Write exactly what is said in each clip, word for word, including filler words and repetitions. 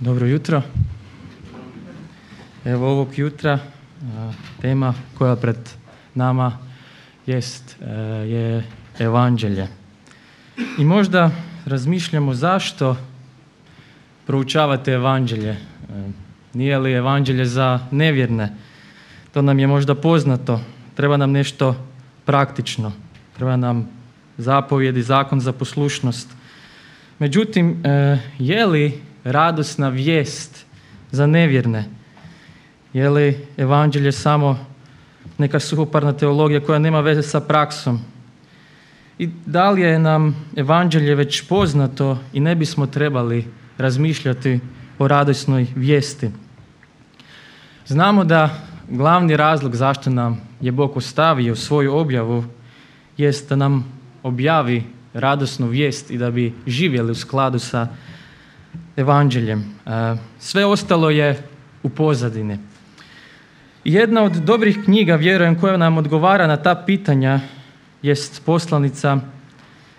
Dobro jutro. Evo ovog jutra a, tema koja pred nama jest a, je evanđelje. I možda razmišljamo zašto proučavate evanđelje. A, nije li evanđelje za nevjerne? To nam je možda poznato. Treba nam nešto praktično. Treba nam zapovjedi, zakon za poslušnost. Međutim, a, je li radosna vijest za nevjerne? Je li evanđelje samo neka suhoparna teologija koja nema veze sa praksom? I da li je nam evanđelje već poznato i ne bismo trebali razmišljati o radosnoj vijesti? Znamo da glavni razlog zašto nam je Bog ostavio svoju objavu jest da nam objavi radosnu vijest i da bi živjeli u skladu sa evanđeljem. Sve ostalo je u pozadini. Jedna od dobrih knjiga, vjerujem, koja nam odgovara na ta pitanja jest poslanica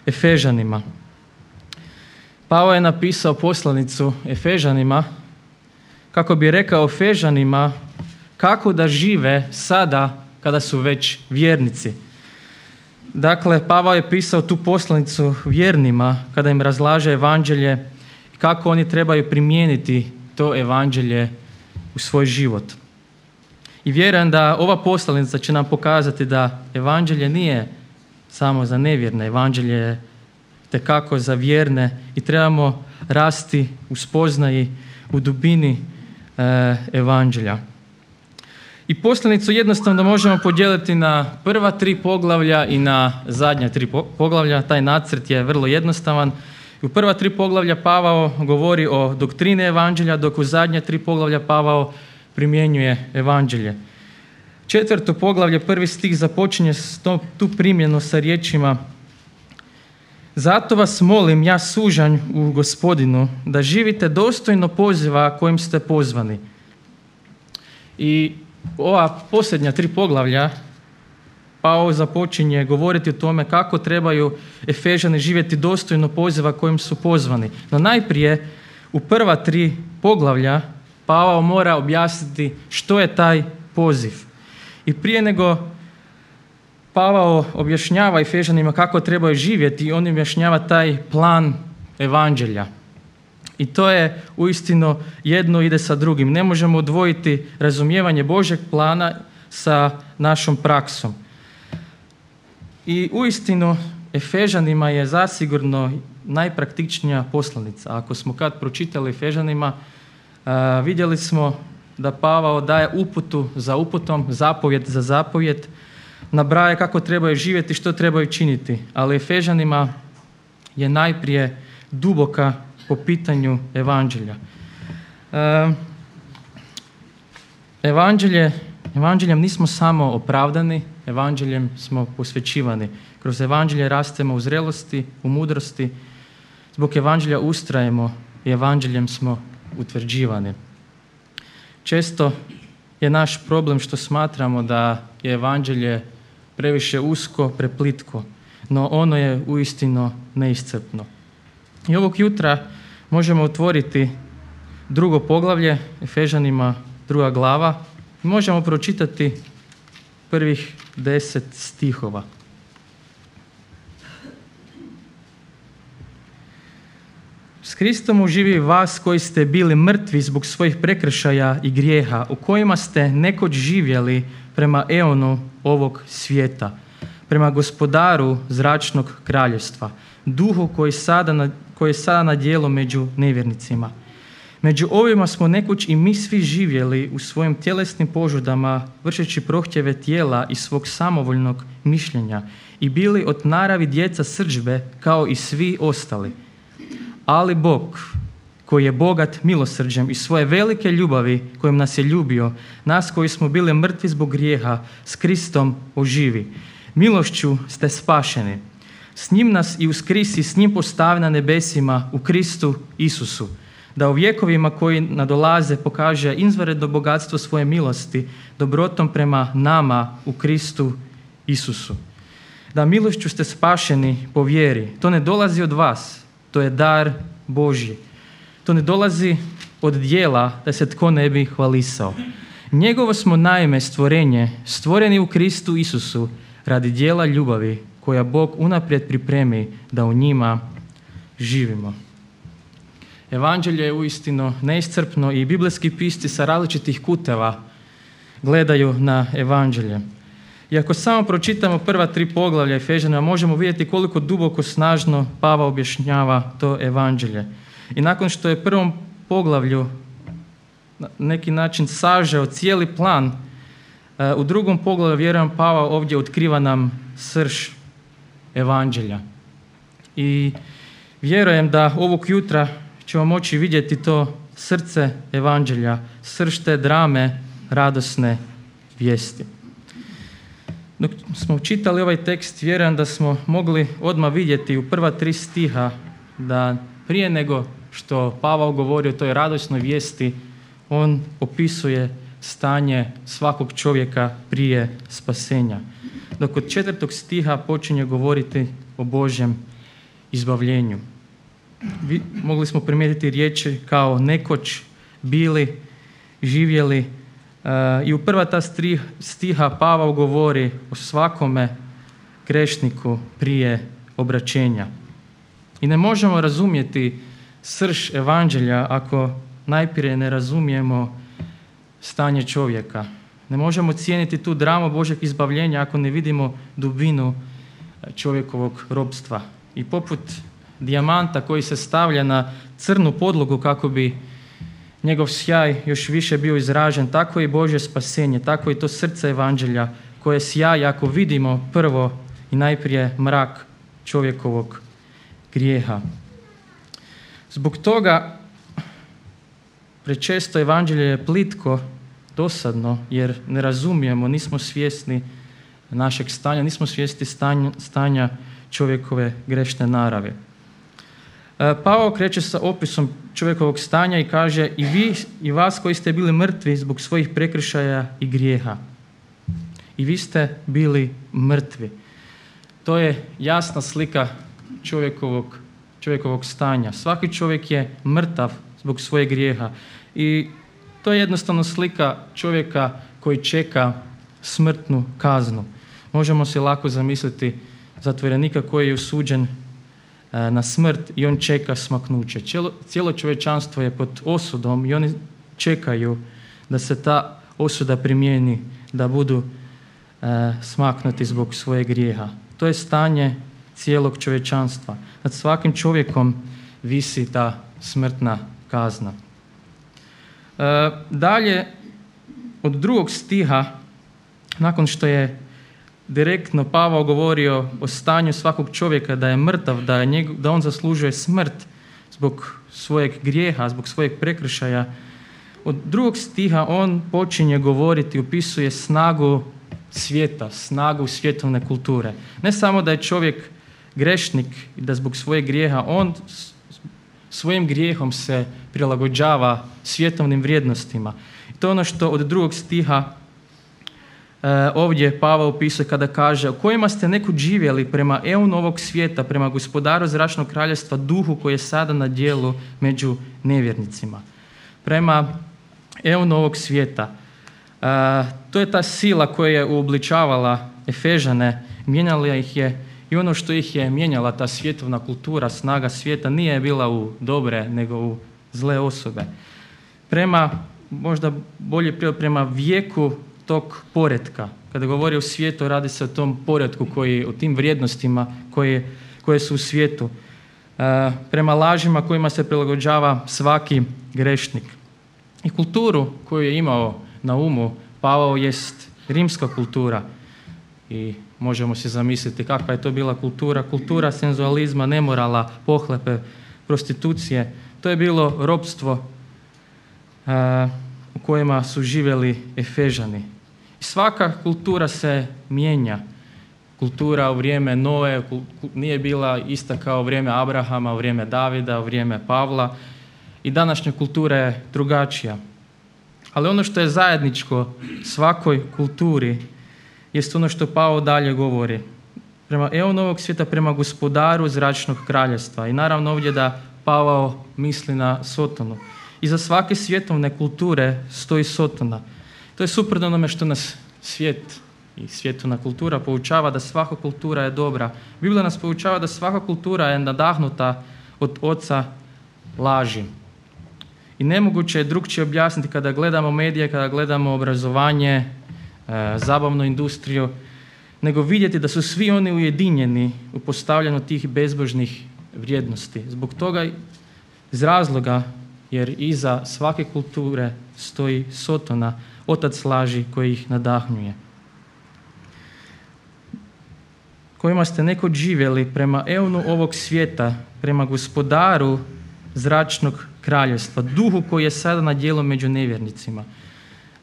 Efežanima. Pavao je napisao poslanicu Efežanima kako bi rekao Efežanima kako da žive sada kada su već vjernici. Dakle, Pavao je pisao tu poslanicu vjernima kada im razlaže evanđelje i kako oni trebaju primijeniti to evanđelje u svoj život. I vjerujem da ova poslanica će nam pokazati da evanđelje nije samo za nevjerne, evanđelje je tekako za vjerne i trebamo rasti u spoznaji, u dubini e, evanđelja. I poslanicu jednostavno možemo podijeliti na prva tri poglavlja i na zadnja tri poglavlja. Taj nacrt je vrlo jednostavan. U prva tri poglavlja Pavao govori o doktrini evanđelja, dok u zadnja tri poglavlja Pavao primjenjuje evanđelje. Četvrto poglavlje, prvi stih započinje tu primjenu sa riječima: zato vas molim, ja sužanj u Gospodinu, da živite dostojno poziva kojim ste pozvani. I ova posljednja tri poglavlja Pavao započinje govoriti o tome kako trebaju Efežani živjeti dostojno poziva kojim su pozvani. No najprije u prva tri poglavlja Pavao mora objasniti što je taj poziv. I prije nego Pavao objašnjava Efežanima kako trebaju živjeti, on objašnjava taj plan evanđelja. I to je uistinu jedno ide sa drugim. Ne možemo odvojiti razumijevanje Božjeg plana sa našom praksom. I uistinu Efežanima je zasigurno najpraktičnija poslanica. Ako smo kad pročitali Efežanima, Uh, vidjeli smo da Pavao daje uputu za uputom, zapovjed za zapovjed, nabraja kako trebaju živjeti, što trebaju činiti. Ali Efežanima je najprije duboka po pitanju evanđelja. Uh, evanđelje, evanđeljem nismo samo opravdani, evanđeljem smo posvećivani. Kroz evanđelje rastemo u zrelosti, u mudrosti. Zbog evanđelja ustrajemo i evanđeljem smo utvrđivani. Često je naš problem što smatramo da je evanđelje previše usko, preplitko, no ono je uistinu neiscrpno. I ovog jutra možemo otvoriti drugo poglavlje, Efežanima druga glava, i možemo pročitati prvih deset stihova. S Kristom uživi vas koji ste bili mrtvi zbog svojih prekršaja i grijeha, u kojima ste nekoć živjeli prema eonu ovog svijeta, prema gospodaru zračnog kraljevstva, duhu koji, sada na, koji je sada na djelu među nevjernicima. Među ovima smo nekoć i mi svi živjeli u svojim tjelesnim požudama, vršeći prohtjeve tijela i svog samovoljnog mišljenja i bili od naravi djeca srdžbe kao i svi ostali. Ali Bog, koji je bogat milosrđem i svoje velike ljubavi kojim nas je ljubio, nas koji smo bili mrtvi zbog grijeha, s Kristom oživi. Milošću ste spašeni. S njim nas i uskrisi, s njim postavi na nebesima u Kristu Isusu, da u vjekovima koji nadolaze pokaže izvanredno bogatstvo svoje milosti, dobrotom prema nama u Kristu Isusu. Da milošću ste spašeni po vjeri. To ne dolazi od vas, to je dar Božji. To ne dolazi od dijela da se tko ne bi hvalisao. Njegovo smo naime stvorenje, stvoreni u Kristu Isusu, radi dijela ljubavi koja Bog unaprijed pripremi da u njima živimo. Evanđelje je uistinu neiscrpno i biblijski pisci sa različitih kuteva gledaju na evanđelje. I ako samo pročitamo prva tri poglavlja Efežanima, možemo vidjeti koliko duboko snažno Pavao objašnjava to evanđelje. I nakon što je prvom poglavlju na neki način sažeo cijeli plan, u drugom poglavlju, vjerujem, Pavao ovdje otkriva nam srž evanđelja. I vjerujem da ovog jutra ćemo moći vidjeti to srce evanđelja, srž te drame radosne vijesti. Dok smo čitali ovaj tekst, vjerujem da smo mogli odmah vidjeti u prva tri stiha da prije nego što Pavao govori o toj radosnoj vijesti, on opisuje stanje svakog čovjeka prije spasenja. Dok od četvrtog stiha počinje govoriti o Božjem izbavljenju. Vi, mogli smo primijetiti riječi kao nekoć, bili, živjeli. Uh, I u prva ta stiha Pavao govori o svakome grešniku prije obraćenja. I ne možemo razumjeti srž evanđelja ako najprije ne razumijemo stanje čovjeka. Ne možemo cijeniti tu dramu Božeg izbavljenja ako ne vidimo dubinu čovjekovog robstva. I poput dijamanta koji se stavlja na crnu podlogu kako bi njegov sjaj još više bio izražen, tako i Božje spasenje, tako i to srce evanđelja koje sjaji ako vidimo prvo i najprije mrak čovjekovog grijeha. Zbog toga prečesto evanđelje je plitko, dosadno, jer ne razumijemo, nismo svjesni našeg stanja, nismo svjesni stanja, stanja čovjekove grešne narave. Pavao kreće sa opisom čovjekovog stanja i kaže i vi i vas koji ste bili mrtvi zbog svojih prekršaja i grijeha. I vi ste bili mrtvi. To je jasna slika čovjekovog, čovjekovog stanja. Svaki čovjek je mrtav zbog svojeg grijeha. I to je jednostavno slika čovjeka koji čeka smrtnu kaznu. Možemo se lako zamisliti zatvorenika koji je osuđen na smrt i on čeka smaknuće. Cijelo, cijelo čovječanstvo je pod osudom i oni čekaju da se ta osuda primijeni, da budu e, smaknuti zbog svojeg grijeha. To je stanje cijelog čovječanstva. Nad svakim čovjekom visi ta smrtna kazna. E, dalje, od drugog stiha, nakon što je direktno Pavao govorio o stanju svakog čovjeka, da je mrtav, da, je njeg, da on zaslužuje smrt zbog svojeg grijeha, zbog svojeg prekršaja. Od drugog stiha on počinje govoriti, opisuje snagu svijeta, snagu svjetovne kulture. Ne samo da je čovjek grešnik i da zbog svojeg grijeha on svojim grijehom se prilagođava svjetovnim vrijednostima. I to je ono što od drugog stiha ovdje Pavao opisuje kada kaže u kojima ste nekud živjeli prema eonu ovog svijeta, prema gospodaru zračnog kraljevstva, duhu koji je sada na djelu među nevjernicima. Prema eonu ovog svijeta. To je ta sila koja je uobličavala Efežane, mijenjala ih je i ono što ih je mijenjala, ta svjetovna kultura, snaga svijeta, nije bila u dobre nego u zle osobe. Prema, možda bolje prema vijeku tog poretka. Kada govori o svijetu, radi se o tom poretku, koji, o tim vrijednostima koje, koje su u svijetu. E, prema lažima kojima se prilagođava svaki grešnik. I kulturu koju je imao na umu Pavao jest rimska kultura. I možemo se zamisliti kakva je to bila kultura. Kultura senzualizma, nemorala, pohlepe, prostitucije. To je bilo ropstvo e, u kojima su živjeli Efežani. I svaka kultura se mijenja. Kultura u vrijeme Noe nije bila ista kao u vrijeme Abrahama, u vrijeme Davida, u vrijeme Pavla. I današnja kultura je drugačija. Ali ono što je zajedničko svakoj kulturi jest ono što Pavao dalje govori. Prema eonu ovog svijeta, prema gospodaru zračnog kraljevstva. I naravno ovdje da Pavao misli na Sotonu. Iza svake svjetovne kulture stoji Sotona. To je suprotno onome što nas svijet i svjetovna kultura poučava, da svaka kultura je dobra. Biblija nas poučava da svaka kultura je nadahnuta od oca laži. I nemoguće je drugčije objasniti kada gledamo medije, kada gledamo obrazovanje, e, zabavnu industriju, nego vidjeti da su svi oni ujedinjeni u postavljanju tih bezbožnih vrijednosti. Zbog toga, iz razloga, jer iza svake kulture stoji Sotona, otac laži koji ih nadahnjuje. Kojima ste nekod živjeli prema eonu ovog svijeta, prema gospodaru zračnog kraljevstva, duhu koji je sada na djelu među nevjernicima.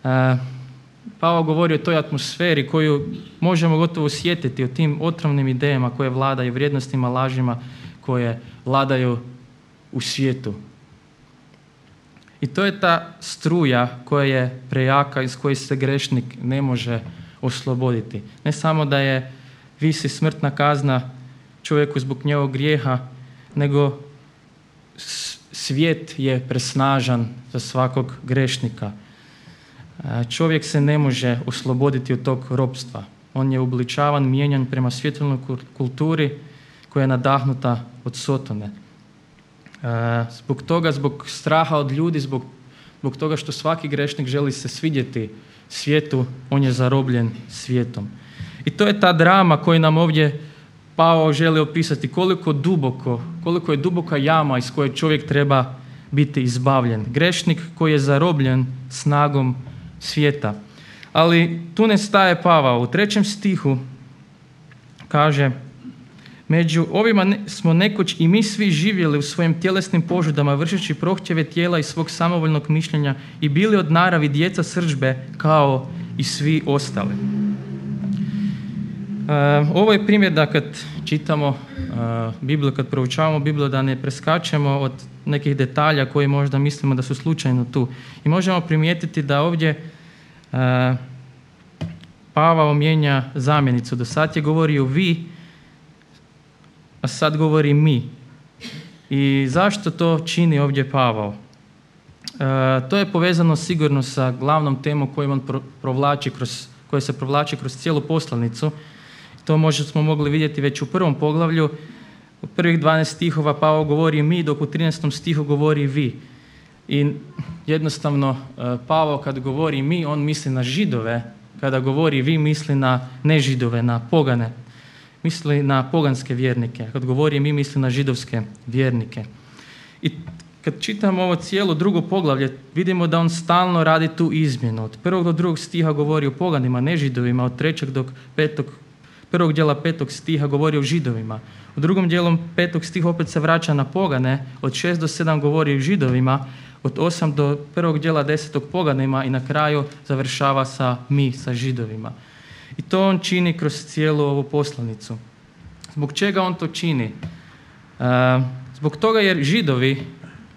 E, Pavao govori o toj atmosferi koju možemo gotovo osjetiti, o tim otrovnim idejama koje vladaju, vrijednostima, lažima koje vladaju u svijetu. I to je ta struja koja je prejaka, iz koje se grešnik ne može osloboditi. Ne samo da je visi smrtna kazna čovjeku zbog njegovog grijeha, nego svijet je presnažan za svakog grešnika. Čovjek se ne može osloboditi od tog ropstva. On je uobličavan, mijenjan prema svjetovnoj kulturi koja je nadahnuta od Sotone. Zbog toga, zbog straha od ljudi, zbog, zbog toga što svaki grešnik želi se svidjeti svijetu, on je zarobljen svijetom. I to je ta drama koju nam ovdje Pavao želi opisati, koliko duboko, koliko je duboka jama iz koje čovjek treba biti izbavljen. Grešnik koji je zarobljen snagom svijeta. Ali tu ne staje Pavao. U trećem stihu kaže: među ovima smo nekoć i mi svi živjeli u svojim tjelesnim požudama, vršeći prohtjeve tijela i svog samovoljnog mišljenja i bili od naravi djeca srdžbe kao i svi ostali. Uh, ovo je primjer da kad čitamo uh, Bibliju, kad proučavamo Bibliju, da ne preskačemo od nekih detalja koji možda mislimo da su slučajno tu. I možemo primijetiti da ovdje uh, Pavao mijenja zamjenicu. Do sad je govorio vi, a sad govori mi. I zašto to čini ovdje Pavao? Uh, to je povezano sigurno sa glavnom temom koju on pro, provlači kroz, koja se provlači kroz cijelu poslanicu. To možda smo mogli vidjeti već u prvom poglavlju. U prvih dvanaest stihova Pavao govori mi, dok u trinaestom stihu govori vi. I jednostavno Pavao kad govori mi, on misli na Židove. Kada govori vi, misli na nežidove, na pogane. Misli na poganske vjernike. Kad govori mi, misli na židovske vjernike. I kad čitamo ovo cijelo drugo poglavlje, vidimo da on stalno radi tu izmjenu. Od prvog do drugog stiha govori o poganima, nežidovima, od trećeg do petog Prvog dijela petog stiha govori o židovima. U drugom dijelu petog stiha opet se vraća na pogane. Od šest do sedam govori o židovima. Od osam do prvog dijela desetog poganima i na kraju završava sa mi, sa židovima. I to on čini kroz cijelu ovu poslanicu. Zbog čega on to čini? E, zbog toga jer židovi,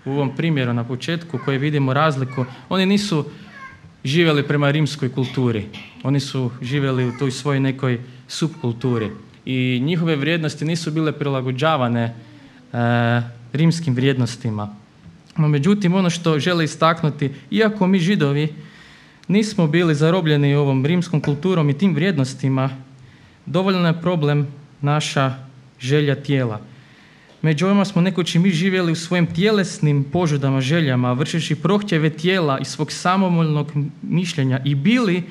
u ovom primjeru na početku koji vidimo razliku, oni nisu živjeli prema rimskoj kulturi. Oni su živjeli u toj svojoj nekoj subkulturi i njihove vrijednosti nisu bile prilagođavane e, rimskim vrijednostima. No, međutim, ono što žele istaknuti, iako mi židovi nismo bili zarobljeni ovom rimskom kulturom i tim vrijednostima, dovoljno je problem naša želja tijela. Među ovima smo nekoć i mi živjeli u svojim tjelesnim požudama, željama, vršeći prohtjeve tijela i svog samovoljnog mišljenja i bili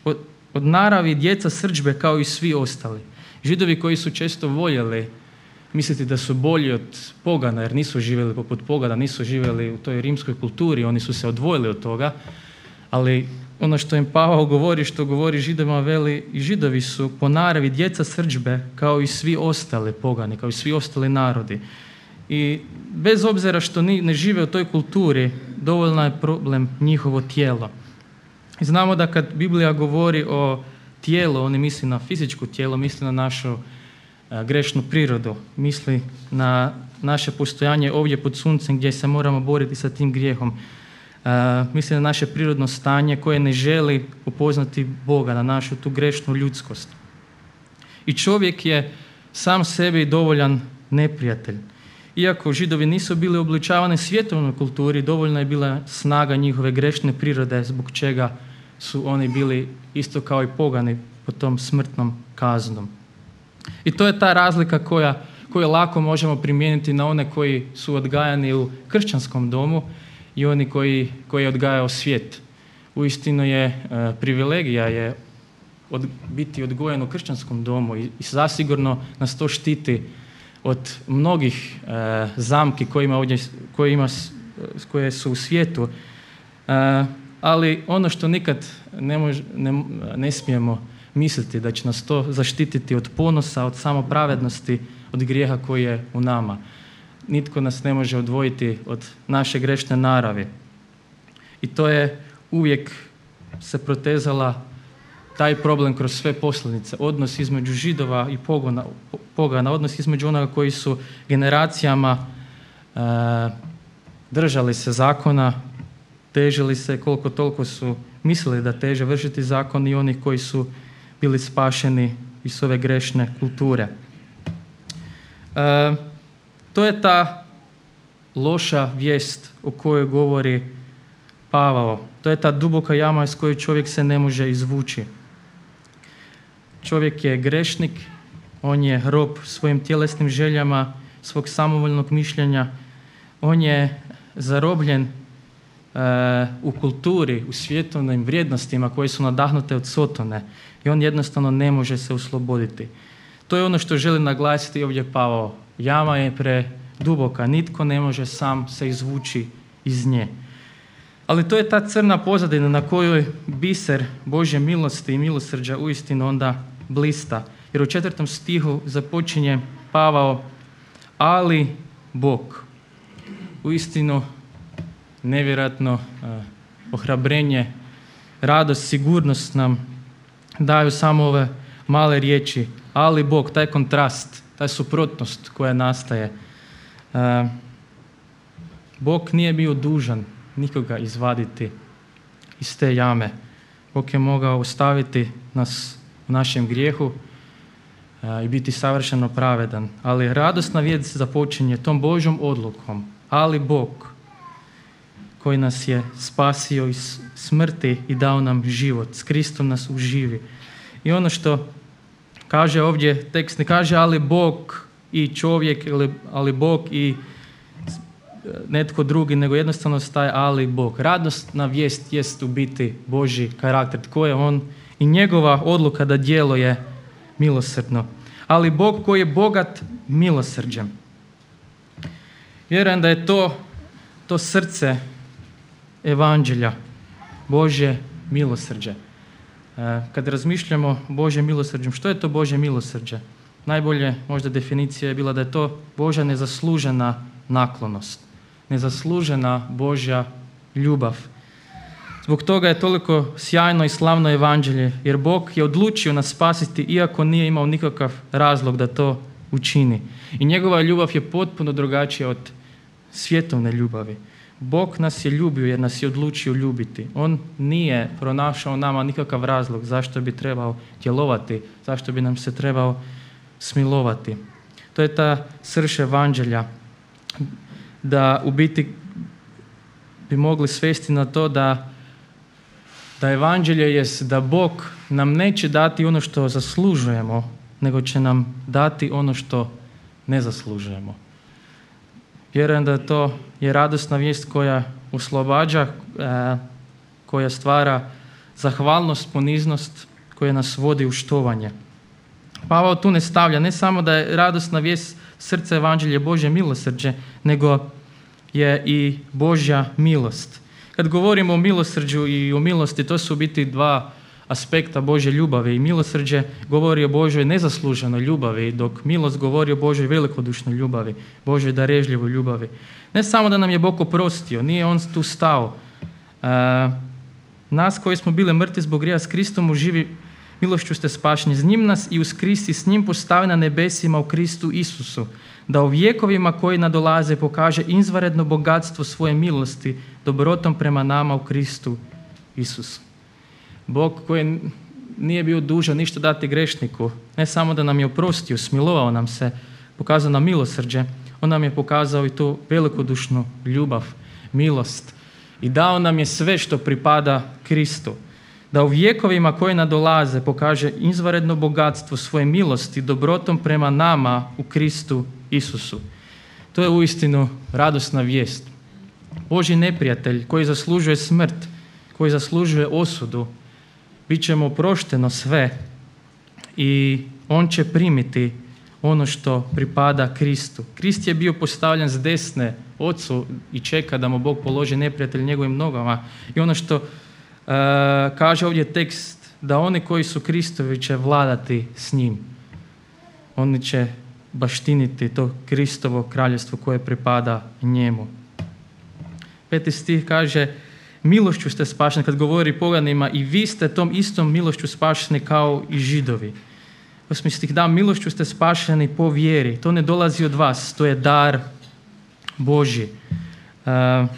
od, od naravi djeca srdžbe kao i svi ostali. Židovi koji su često voljeli misliti da su bolji od pogana, jer nisu živjeli poput pogana, nisu živjeli u toj rimskoj kulturi, oni su se odvojili od toga, ali ono što im Pavao govori, što govori Židovima, veli i Židovi su po naravi djeca srdžbe kao i svi ostali pogani, kao i svi ostali narodi. I bez obzira što ni, ne žive u toj kulturi, dovoljno je problem njihovo tijelo. I znamo da kad Biblija govori o tijelu, oni misli na fizičko tijelo, misli na našu a, grešnu prirodu, misli na naše postojanje ovdje pod suncem gdje se moramo boriti sa tim grijehom. Uh, misli na naše prirodno stanje koje ne želi upoznati Boga, na našu tu grešnu ljudskost. I čovjek je sam sebi dovoljan neprijatelj. Iako Židovi nisu bili obličavani svjetovnoj kulturi, dovoljna je bila snaga njihove grešne prirode zbog čega su oni bili isto kao i pogani pod tom smrtnom kaznom. I to je ta razlika koja, koju lako možemo primijeniti na one koji su odgajani u kršćanskom domu i oni koji, koji je odgajao svijet. Uistinu je e, privilegija je od, biti odgojen u kršćanskom domu i, i zasigurno nas to štiti od mnogih e, zamki koje, ima ovdje, koje, ima, koje su u svijetu. E, ali ono što nikad ne, mož, ne, ne smijemo misliti da će nas to zaštititi od ponosa, od samopravednosti, od grijeha koji je u nama. Nitko nas ne može odvojiti od naše grešne naravi. I to je uvijek se protezala taj problem kroz sve poslanice. Odnos između Židova i pogona, pogana, odnos između onoga koji su generacijama e, držali se zakona, težili se koliko toliko su mislili da teže vršiti zakon i onih koji su bili spašeni iz ove grešne kulture. E, to je ta loša vijest o kojoj govori Pavao. To je ta duboka jama iz koje čovjek se ne može izvući. Čovjek je grešnik, on je rob svojim tjelesnim željama, svog samovoljnog mišljenja, on je zarobljen e, u kulturi, u svjetovnim vrijednostima koje su nadahnute od Sotone i on jednostavno ne može se osloboditi. To je ono što želi naglasiti ovdje Pavao. Jama je preduboka, nitko ne može sam se izvući iz nje. Ali to je ta crna pozadina na kojoj biser Božje milosti i milosrđa uistinu onda blista. Jer u četvrtom stihu započinje Pavao, ali Bog. Uistinu nevjerojatno uh, ohrabrenje, radost, sigurnost nam daju samo ove male riječi, ali Bog, taj kontrast, ta suprotnost koja nastaje. Uh, Bog nije bio dužan nikoga izvaditi iz te jame. Bog je mogao ostaviti nas u našem grijehu a, i biti savršeno pravedan. Ali radosna vijest započinje tom Božjom odlukom. Ali Bog koji nas je spasio iz smrti i dao nam život. S Kristom nas uživi. I ono što kaže ovdje, tekst ne kaže ali Bog i čovjek, ali Bog i netko drugi, nego jednostavno staje ali Bog. Radosna vijest jest u biti Božji karakter, tko je on i njegova odluka da djeluje milosrdno. Ali Bog koji je bogat milosrđem. Vjerujem da je to, to srce evanđelja, Božje milosrđe. Kad razmišljamo o Božjem milosrđem, što je to Božje milosrđe? Najbolje možda definicija je bila da je to Božja nezaslužena naklonost, nezaslužena Božja ljubav. Zbog toga je toliko sjajno i slavno evanđelje, jer Bog je odlučio nas spasiti iako nije imao nikakav razlog da to učini. I njegova ljubav je potpuno drugačija od svjetovne ljubavi. Bog nas je ljubio jer nas je odlučio ljubiti. On nije pronašao nama nikakav razlog zašto bi trebao djelovati, zašto bi nam se trebao smilovati. To je ta srž evanđelja, da u biti bi mogli svesti na to da, da evanđelje jest da Bog nam neće dati ono što zaslužujemo, nego će nam dati ono što ne zaslužujemo. Vjerujem da to je radosna vijest koja oslobađa, koja stvara zahvalnost, poniznost, koja nas vodi u štovanje. Pavao tu ne stavlja, ne samo da je radosna vijest srce evanđelje Božje milosrđe, nego je i Božja milost. Kad govorimo o milosrđu i o milosti, to su u biti dva aspekta Božje ljubavi. I milosrđe govori o Božjoj nezasluženoj ljubavi, dok milost govori o Božjoj velikodušnoj ljubavi, Božjoj darežljivoj ljubavi. Ne samo da nam je Bog oprostio, nije on tu stao. E, nas koji smo bili mrtvi zbog grijeha s Kristom u živi milošću ste spašeni. Z njim nas i uz Kristi s njim postavi na nebesima u Kristu Isusu, da u vjekovima koji nadolaze pokaže izvanredno bogatstvo svoje milosti dobrotom prema nama u Kristu Isusu. Bog koji nije bio dužan ništa dati grešniku, ne samo da nam je oprostio, smilovao nam se, pokazao nam milosrđe, On nam je pokazao i tu velikodušnu ljubav, milost i dao nam je sve što pripada Kristu. Da u vjekovima koje nadolaze pokaže izvanredno bogatstvo svoje milosti dobrotom prema nama u Kristu Isusu. To je uistinu radosna vijest. Božji neprijatelj koji zaslužuje smrt, koji zaslužuje osudu, bit će mu oprošteno sve i on će primiti ono što pripada Kristu. Krist je bio postavljen s desne Ocu i čeka da mu Bog položi neprijatelj njegovim nogama. I ono što uh, kaže ovdje tekst, da oni koji su Kristovi će vladati s njim. Oni će baštiniti to Kristovo kraljevstvo koje pripada njemu. Peti stih kaže, milošću ste spašeni, kad govori poganima, i vi ste tom istom milošću spašeni kao i Židovi. Osmi stih, da, milošću ste spašeni po vjeri. To ne dolazi od vas, to je dar Božji. Uh,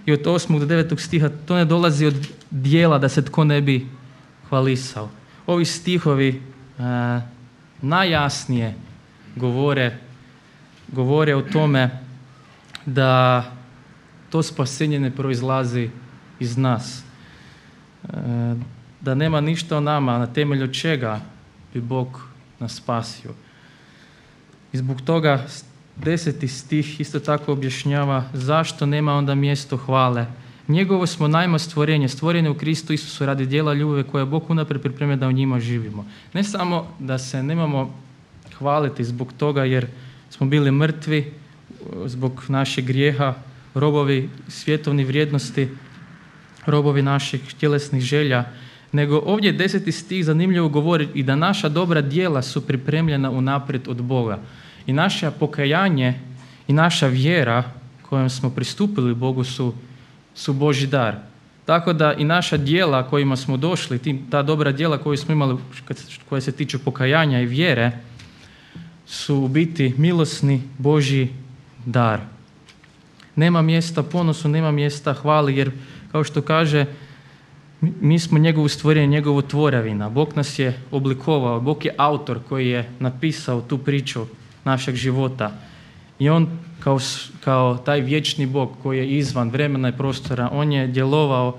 I od osmog do devetog stiha, to ne dolazi od dijela da se tko ne bi hvalisao. Ovi stihovi uh, najjasnije govore, govore o tome da to spasenje ne proizlazi iz nas. Uh, da nema ništa o nama, na temelju čega bi Bog nas spasio. I zbog toga deseti stih isto tako objašnjava zašto nema onda mjesto hvale. Njegovo smo najma stvorenje, stvorene u Kristu Isusu radi djela ljubavi koje Bog unaprijed pripremio da u njima živimo. Ne samo da se nemamo hvaliti zbog toga jer smo bili mrtvi, zbog našeg grijeha, robovi svjetovnih vrijednosti, robovi naših tjelesnih želja, nego ovdje deseti stih zanimljivo govori i da naša dobra djela su pripremljena unaprijed od Boga. I naše pokajanje i naša vjera kojom smo pristupili Bogu su, su Božji dar. Tako da i naša djela kojima smo došli, ta dobra djela koju smo imali koja se tiču pokajanja i vjere, su u biti milosni Božji dar. Nema mjesta ponosu, nema mjesta hvali, jer kao što kaže, mi smo njegovo stvorenje, njegovo tvorevina. Bog nas je oblikovao, Bog je autor koji je napisao tu priču našeg života. I on kao, kao taj vječni Bog koji je izvan vremena i prostora, on je djelovao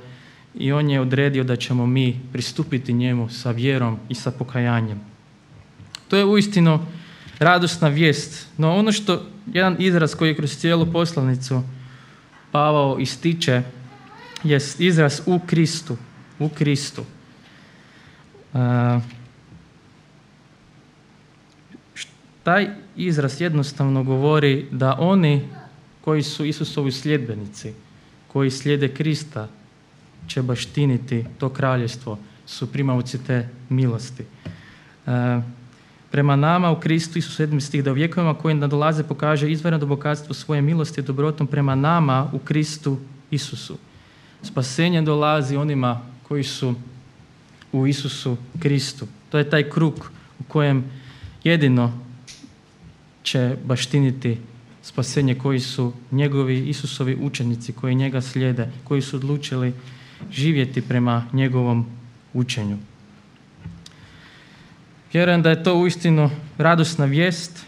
i on je odredio da ćemo mi pristupiti njemu sa vjerom i sa pokajanjem. To je uistinu radosna vijest. No ono što, jedan izraz koji je kroz cijelu poslanicu Pavao ističe, je izraz u Kristu. U Kristu. Uh, taj izraz jednostavno govori da oni koji su Isusovi sljedbenici, koji slijede Krista, će baštiniti to kraljevstvo, su primaoci te milosti. Uh, prema nama u Kristu, Isus sedmi stih, da u vjekovima koji nadolaze pokaže izvanredno bogatstvo svoje milosti i dobrotom prema nama u Kristu Isusu. Spasenje dolazi onima koji su u Isusu Kristu. To je taj krug u kojem jedino će baštiniti spasenje koji su njegovi Isusovi učenici, koji njega slijede, koji su odlučili živjeti prema njegovom učenju. Vjerujem da je to uistinu radosna vijest,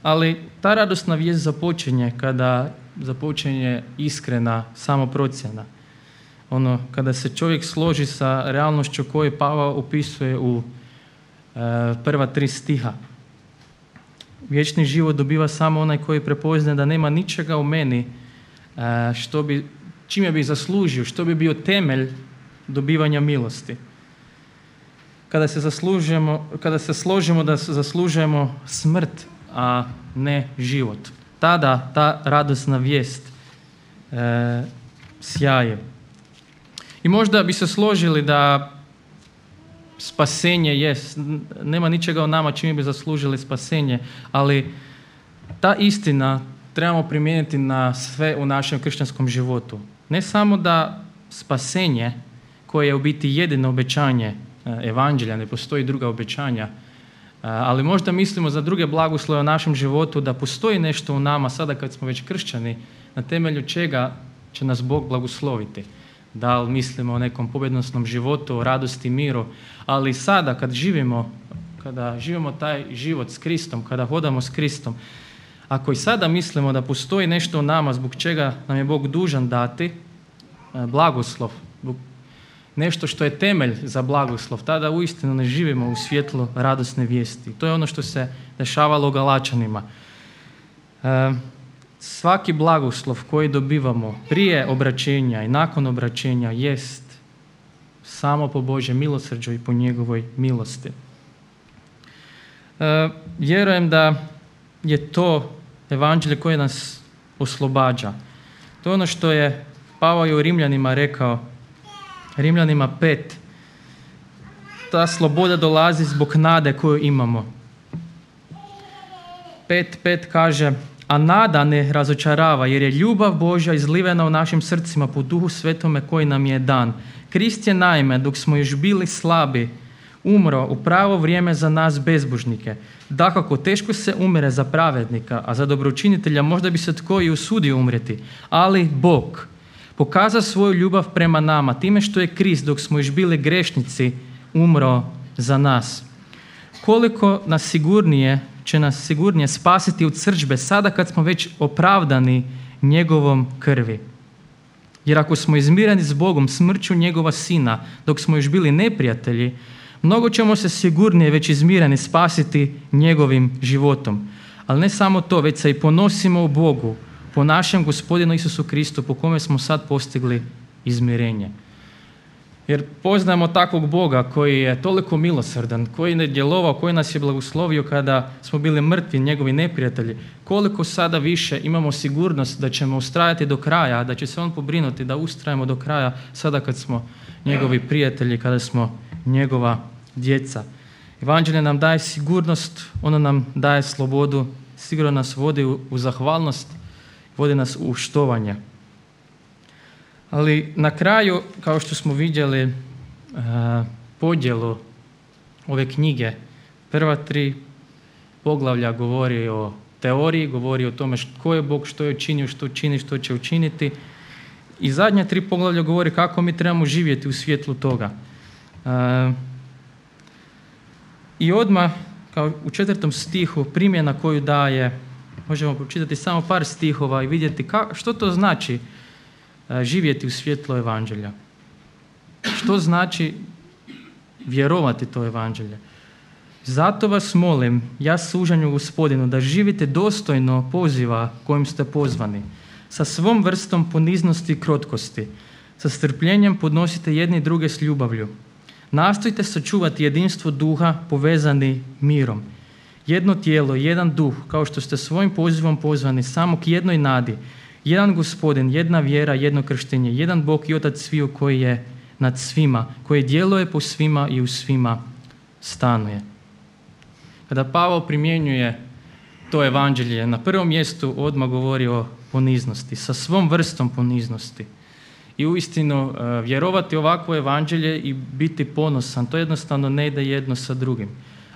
ali ta radosna vijest započinje kada započinje iskrena samoprocjena. Ono, kada se čovjek složi sa realnošću koju Pavao opisuje u e, prva tri stiha. Vječni život dobiva samo onaj koji prepoznaje da nema ničega u meni e, što bi, čime bi zaslužio, što bi bio temelj dobivanja milosti. Kada se, zaslužujemo, kada se složimo da zaslužujemo smrt, a ne život, tada ta radosna vijest e, sjaje. I možda bi se složili da spasenje jest, nema ničega u nama čime bi zaslužili spasenje, ali ta istina trebamo primijeniti na sve u našem kršćanskom životu. Ne samo da spasenje, koje je u biti jedino obećanje evanđelja, ne postoji druga obećanja, ali možda mislimo za druge blagoslove u našem životu da postoji nešto u nama sada kad smo već kršćani, na temelju čega će nas Bog blagosloviti. Da li mislimo o nekom pobjednosnom životu, o radosti, miru, ali sada kad živimo, kada živimo taj život s Kristom, kada hodamo s Kristom, Ako i sada mislimo da postoji nešto u nama zbog čega nam je Bog dužan dati blagoslov, nešto što je temelj za blagoslov, tada uistinu ne živimo u svjetlu radosne vijesti. To je ono što se dešavalo u Galačanima. E, svaki blagoslov koji dobivamo prije obraćenja i nakon obraćenja jest samo po Božjem milosrđu i po njegovoj milosti. E, vjerujem da je to evanđelje koje nas oslobađa. To je ono što je Pavao je u Rimljanima rekao, Rimljanima pet, ta sloboda dolazi zbog nade koju imamo. pet pet kaže, a nada ne razočarava, jer je ljubav Božja izlivena u našim srcima po Duhu Svetome koji nam je dan. Krist je naime, dok smo još bili slabi, umro u pravo vrijeme za nas bezbožnike. Dakako, teško se umire za pravednika, a za dobročinitelja možda bi se tko i usudio umrijeti. Ali Bog pokaza svoju ljubav prema nama time što je Krist, dok smo još bili grešnici, umro za nas. Koliko nas sigurnije će nas sigurnije spasiti od srdžbe sada kad smo već opravdani njegovom krvi. Jer ako smo izmireni s Bogom smrću njegova sina, dok smo još bili neprijatelji, mnogo ćemo se sigurnije već izmireni spasiti njegovim životom. Ali ne samo to, već se i ponosimo u Bogu, po našem Gospodinu Isusu Kristu, po kome smo sad postigli izmirenje. Jer poznajemo takvog Boga koji je toliko milosrdan, koji je djelovao, koji nas je blagoslovio kada smo bili mrtvi, njegovi neprijatelji. Koliko sada više imamo sigurnost da ćemo ustrajati do kraja, da će se on pobrinuti da ustrajemo do kraja sada kad smo njegovi prijatelji, kada smo njegova djeca. Evanđelje nam daje sigurnost, ono nam daje slobodu, sigurno nas vodi u, u zahvalnost, vodi nas u štovanje. Ali na kraju, kao što smo vidjeli uh, podjelu ove knjige, prva tri poglavlja govori o teoriji, govori o tome tko je Bog, što je učinio, što čini, što će učiniti. I zadnja tri poglavlja govori kako mi trebamo živjeti u svjetlu toga. Uh, I odmah, kao u četvrtom stihu, primjena koju daje, možemo pročitati samo par stihova i vidjeti ka, što to znači živjeti u svjetlu evanđelja. Što znači vjerovati to evanđelje? Zato vas molim, ja služanju Gospodinu, da živite dostojno poziva kojim ste pozvani, sa svom vrstom poniznosti i krotkosti, sa strpljenjem podnosite jedni druge s ljubavlju. Nastojte sačuvati jedinstvo duha povezani mirom. Jedno tijelo, jedan duh, kao što ste svojim pozivom pozvani samo k jednoj nadi, jedan Gospodin, jedna vjera, jedno krštenje, jedan Bog i Otac sviju koji je nad svima, koji djeluje po svima i u svima stanuje. Kada Pavao primjenjuje to evanđelje, na prvom mjestu odmah govori o poniznosti, sa svom vrstom poniznosti. I uistinu vjerovati ovakvo evanđelje i biti ponosan, to jednostavno ne ide jedno sa drugim.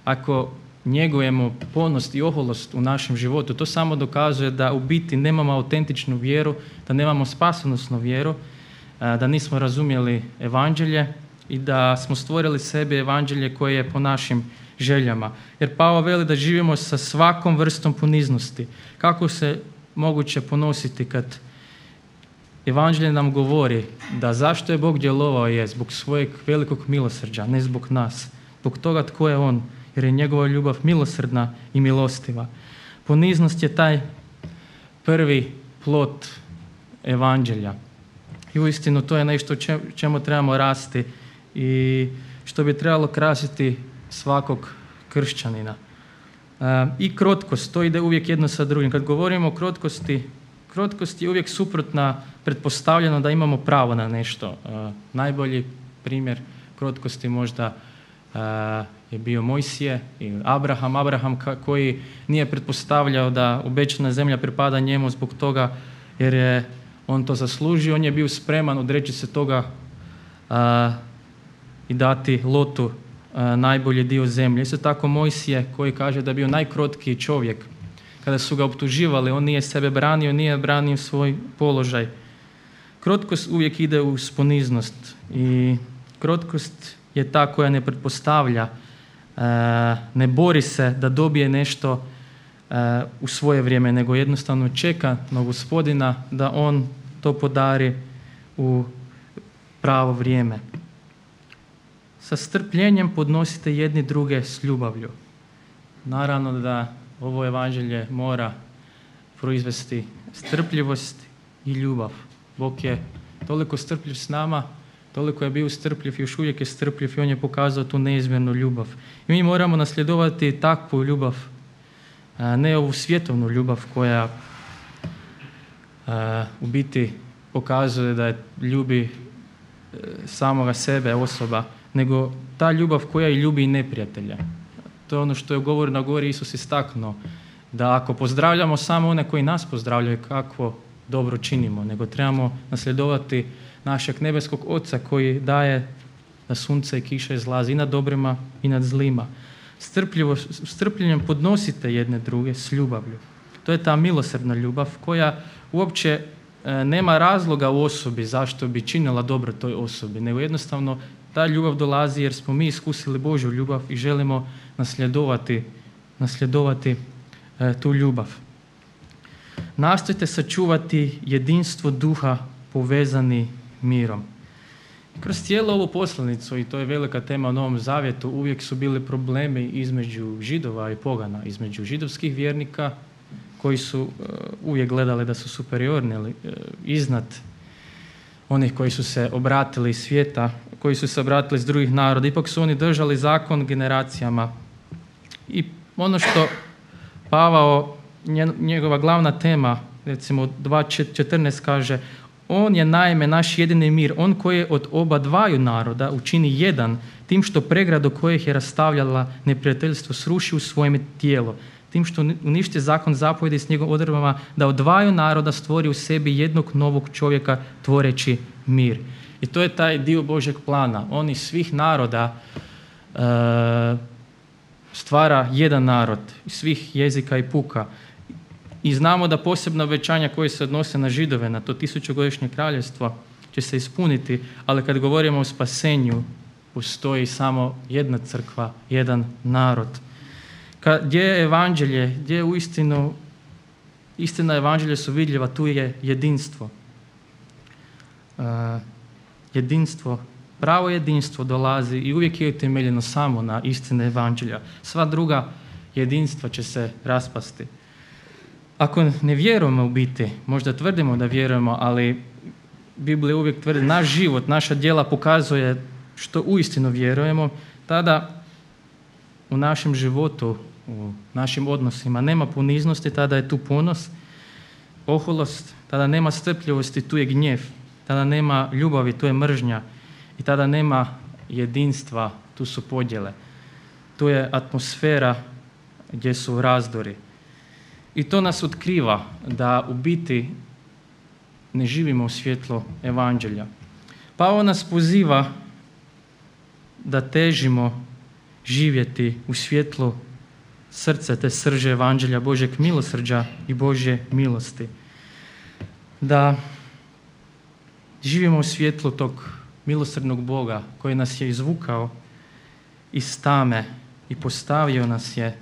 Ako njegujemo ponos i oholost u našem životu, to samo dokazuje da u biti nemamo autentičnu vjeru, da nemamo spasonosnu vjeru, da nismo razumjeli evanđelje i da smo stvorili sebi evanđelje koje je po našim željama. Jer Pavao veli da živimo sa svakom vrstom poniznosti. Kako se moguće ponositi kad evanđelje nam govori da zašto je Bog djelovao je zbog svojeg velikog milosrđa, ne zbog nas, zbog toga tko je on, jer je njegova ljubav milosrdna i milostiva. Poniznost je taj prvi plod evanđelja. I uistinu to je nešto čemu trebamo rasti i što bi trebalo krasiti svakog kršćanina. E, I krotkost, to ide uvijek jedno sa drugim. Kad govorimo o krotkosti, krotkost je uvijek suprotna pretpostavljeno da imamo pravo na nešto. E, najbolji primjer krotkosti možda e, je bio Mojsije i Abraham. Abraham koji nije pretpostavljao da obećana zemlja pripada njemu zbog toga jer je on to zaslužio. On je bio spreman odreći se toga a, i dati Lotu a, najbolji dio zemlje. Isto tako Mojsije koji kaže da je bio najkrotkiji čovjek. Kada su ga optuživali, on nije sebe branio, nije branio svoj položaj. Krotkost uvijek ide uz poniznost i krotkost je ta koja ne pretpostavlja, ne bori se da dobije nešto u svoje vrijeme, nego jednostavno čeka na Gospodina da on to podari u pravo vrijeme. Sa strpljenjem podnosite jedni druge s ljubavlju. Naravno da ovo evanđelje mora proizvesti strpljivost i ljubav. Bog je toliko strpljiv s nama, toliko je bio strpljiv i još uvijek je strpljiv i on je pokazao tu neizmjernu ljubav. I mi moramo nasljedovati takvu ljubav, a ne ovu svjetovnu ljubav koja a, u biti pokazuje da je ljubi samoga sebe osoba, nego ta ljubav koja i ljubi i neprijatelja. To je ono što je u govoru na gori Isus istaknuo, da ako pozdravljamo samo one koji nas pozdravljaju, kakvo dobro činimo, nego trebamo nasljedovati našeg nebeskog Oca koji daje da sunce i kiša izlazi i nad dobrima i nad zlima. Strpljivo, strpljenjem podnosite jedne druge s ljubavlju. To je ta milosrdna ljubav koja uopće e, nema razloga u osobi zašto bi činila dobro toj osobi, nego jednostavno ta ljubav dolazi jer smo mi iskusili Božju ljubav i želimo nasljedovati, nasljedovati e, tu ljubav. Nastojte sačuvati jedinstvo duha povezani mirom. Kroz cijelu ovu poslanicu, i to je velika tema u Novom Zavjetu, uvijek su bili problemi između Židova i pogana, između židovskih vjernika koji su uh, uvijek gledali da su superiorni, uh, iznad onih koji su se obratili iz svijeta, koji su se obratili iz drugih naroda. Ipak su oni držali zakon generacijama. I ono što Pavao, njegova glavna tema, recimo dva četrnaest kaže, on je naime naš jedini mir, on koji je od oba dvaju naroda učini jedan, tim što pregradu kojih je rastavljala neprijateljstvo sruši u svojem tijelo, tim što uništi zakon zapovjedi s njegovim odredbama, da od dvaju naroda stvori u sebi jednog novog čovjeka tvoreći mir. I to je taj dio Božjeg plana. On iz svih naroda e, stvara jedan narod, iz svih jezika i puka. I znamo da posebna obećanja koje se odnose na Židove, na to tisućugodišnje kraljevstvo, će se ispuniti, ali kad govorimo o spasenju, postoji samo jedna crkva, jedan narod. Kad, gdje je evanđelje, gdje je uistinu, istina evanđelja su vidljiva, tu je jedinstvo. Uh, jedinstvo, pravo jedinstvo dolazi i uvijek je utemeljeno samo na istine evanđelja. Sva druga jedinstva će se raspasti. Ako ne vjerujemo u biti, možda tvrdimo da vjerujemo, ali Biblija uvijek tvrdi, naš život, naša djela pokazuje što uistinu vjerujemo, tada u našem životu, u našim odnosima nema poniznosti, tada je tu ponos, oholost, tada nema strpljivosti, tu je gnjev, tada nema ljubavi, tu je mržnja i tada nema jedinstva, tu su podjele. Tu je atmosfera gdje su razdori. I to nas otkriva da u biti ne živimo u svjetlu evanđelja. Pavao nas poziva da težimo živjeti u svjetlu srca te srže evanđelja Božjeg milosrđa i Božje milosti. Da živimo u svjetlu tog milosrdnog Boga koji nas je izvukao iz tame i postavio nas je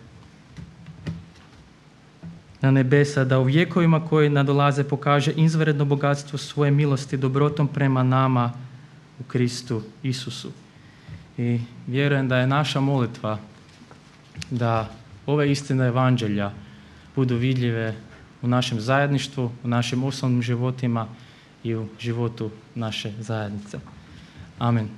na nebesa, da u vjekovima koji nadolaze pokaže izvanredno bogatstvo svoje milosti dobrotom prema nama u Kristu Isusu. I vjerujem da je naša molitva da ove istine evanđelja budu vidljive u našem zajedništvu, u našim osobnim životima i u životu naše zajednice. Amen.